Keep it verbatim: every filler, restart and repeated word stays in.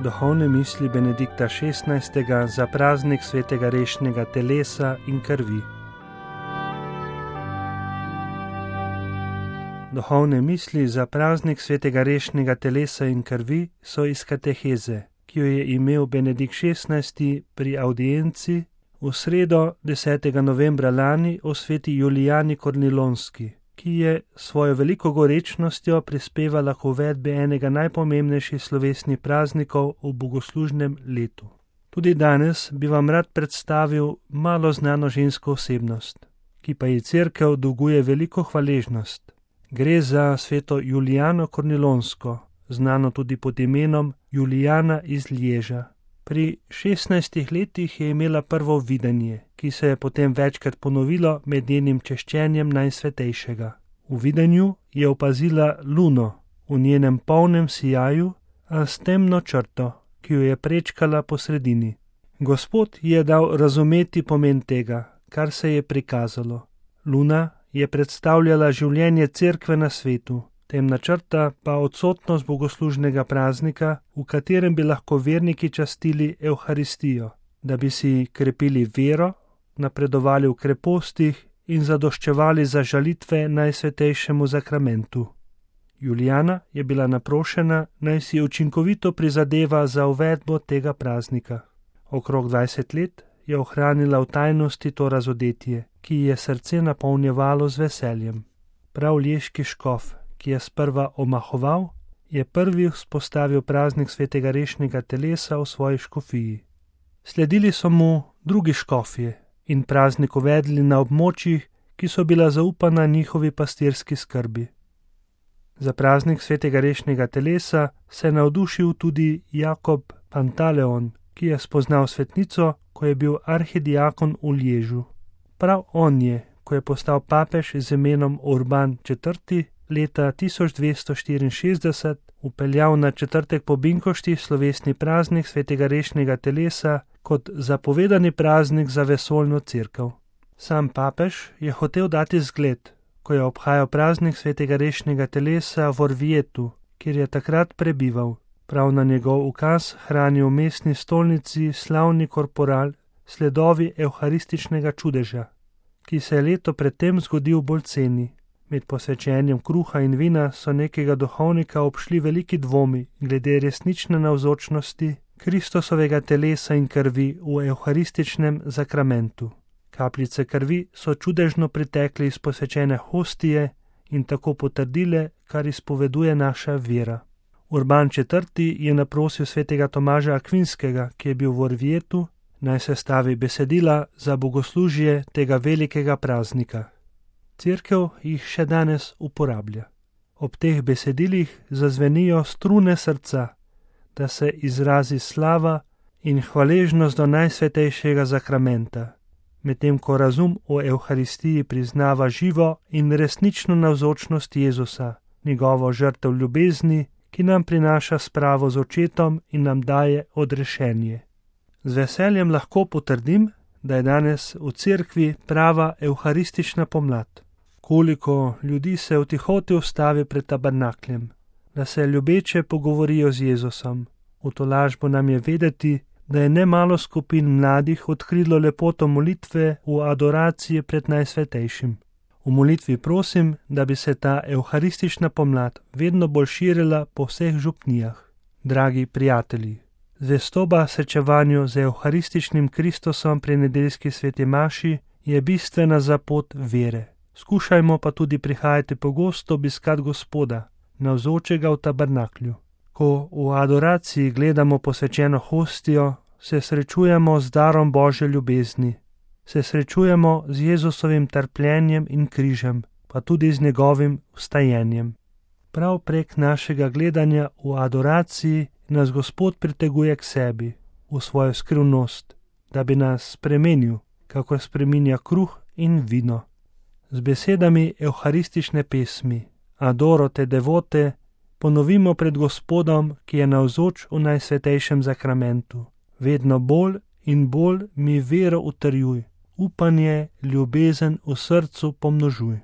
Duhovne misli Benedikta šestnajstega za praznik svetega rešnega telesa in krvi. Duhovne misli za praznik svetega rešnega telesa in krvi so iz kateheze, ki jo je imel Benedikt šestnajsti pri audienci v sredo desetega novembra lani o sveti Julijani Kornilonski, ki je svojo veliko gorečnostjo prispevala k uvedbi enega najpomembnejših slovesnih praznikov v bogoslužnem letu. Tudi danes bi vam rad predstavil malo znano žensko osebnost, ki pa ji cerkev dolguje veliko hvaležnost. Gre za sveto Julijano Kornilonsko, znano tudi pod imenom Julijana iz Lježa. Pri šestnajstih letih je imela prvo videnje, ki se je potem večkrat ponovilo med njenim češčenjem Najsvetejšega. V videnju je opazila luno v njenem polnem sijaju, a s temno črto, ki jo je prečkala po sredini. Gospod je dal razumeti pomen tega, kar se je prikazalo. Luna je predstavljala življenje cerkve na svetu, temna črta pa odsotnost bogoslužnega praznika, v katerem bi lahko verniki častili Evharistijo, da bi si krepili vero, napredovali v krepostih in zadoščevali za žalitve Najsvetejšemu zakramentu. Julijana je bila naprošena, naj si učinkovito prizadeva za uvedbo tega praznika. Okrog dvajset let je ohranila v tajnosti to razodetje, ki je srce napolnjevalo z veseljem. Prav lješki škof, ki je sprva omahoval, je prvi vzpostavil praznik svetega rešnega telesa v svoji škofiji. Sledili so mu drugi škofje in praznik uvedli na območjih, ki so bila zaupana njihovi pastirski skrbi. Za praznik svetega rešnega telesa se je navdušil tudi Jakob Pantaleon, ki je spoznal svetnico, ko je bil arhidiakon v Lježu. Prav on je, ko je postal papež z imenom Urban četrti, leta tisoč dvesto štiriinšestdeset vpeljal na četrtek po Binkošti slovesni praznik svetega rešnega telesa kot zapovedani praznik za vesoljno cerkev. Sam papež je hotel dati zgled, ko je obhajal praznik svetega rešnega telesa v Orvietu, kjer je takrat prebival. Prav na njegov ukaz hrani v mestni stolnici slavni korporal sledovi evharističnega čudeža, ki se je leto predtem zgodil bolj ceni. Med posvečenjem kruha in vina so nekega duhovnika obšli veliki dvomi glede resnične navzočnosti Kristusovega telesa in krvi v evharističnem zakramentu. Kapljice krvi so čudežno pritekle iz posvečene hostije in tako potrdile, kar izpoveduje naša vera. Urban četrti je naprosil svetega Tomaža Akvinskega, ki je bil v Orvietu, naj sestavi besedila za bogoslužje tega velikega praznika. Cerkev jih še danes uporablja. Ob teh besedilih zazvenijo strune srca, da se izrazi slava in hvaležnost do Najsvetejšega zakramenta, medtem ko razum o Evharistiji priznava živo in resnično navzočnost Jezusa, njegovo žrtev ljubezni, ki nam prinaša spravo z očetom in nam daje odrešenje. Z veseljem lahko potrdim, da je danes v cerkvi prava evharistična pomlad. Koliko ljudi se v tihoti ustavi pred tabernakljem, da se ljubeče pogovorijo z Jezusom. V tolažbo nam je vedeti, da je nemalo skupin mladih odkrilo lepoto molitve v adoraciji pred Najsvetejšim. V molitvi prosim, da bi se ta evharistična pomlad vedno bolj širila po vseh župnijah. Dragi prijatelji, zvestoba srečevanju z evharističnim Kristusom pri nedeljski sveti maši je bistvena za pot vere. Skušajmo pa tudi prihajati pogosto obiskat Gospoda, navzočega v tabernaklju. Ko v adoraciji gledamo posvečeno hostijo, se srečujemo z darom Božje ljubezni, se srečujemo z Jezusovim trpljenjem in križem, pa tudi z njegovim vstajenjem. Prav prek našega gledanja v adoraciji nas Gospod priteguje k sebi, v svojo skrivnost, da bi nas spremenil, kako spreminja kruh in vino. Z besedami evharistične pesmi Adoro te devote ponovimo pred Gospodom, ki je navzoč v Najsvetejšem zakramentu. Vedno bolj in bolj mi vero utrjuj, upanje, ljubezen v srcu pomnožuj.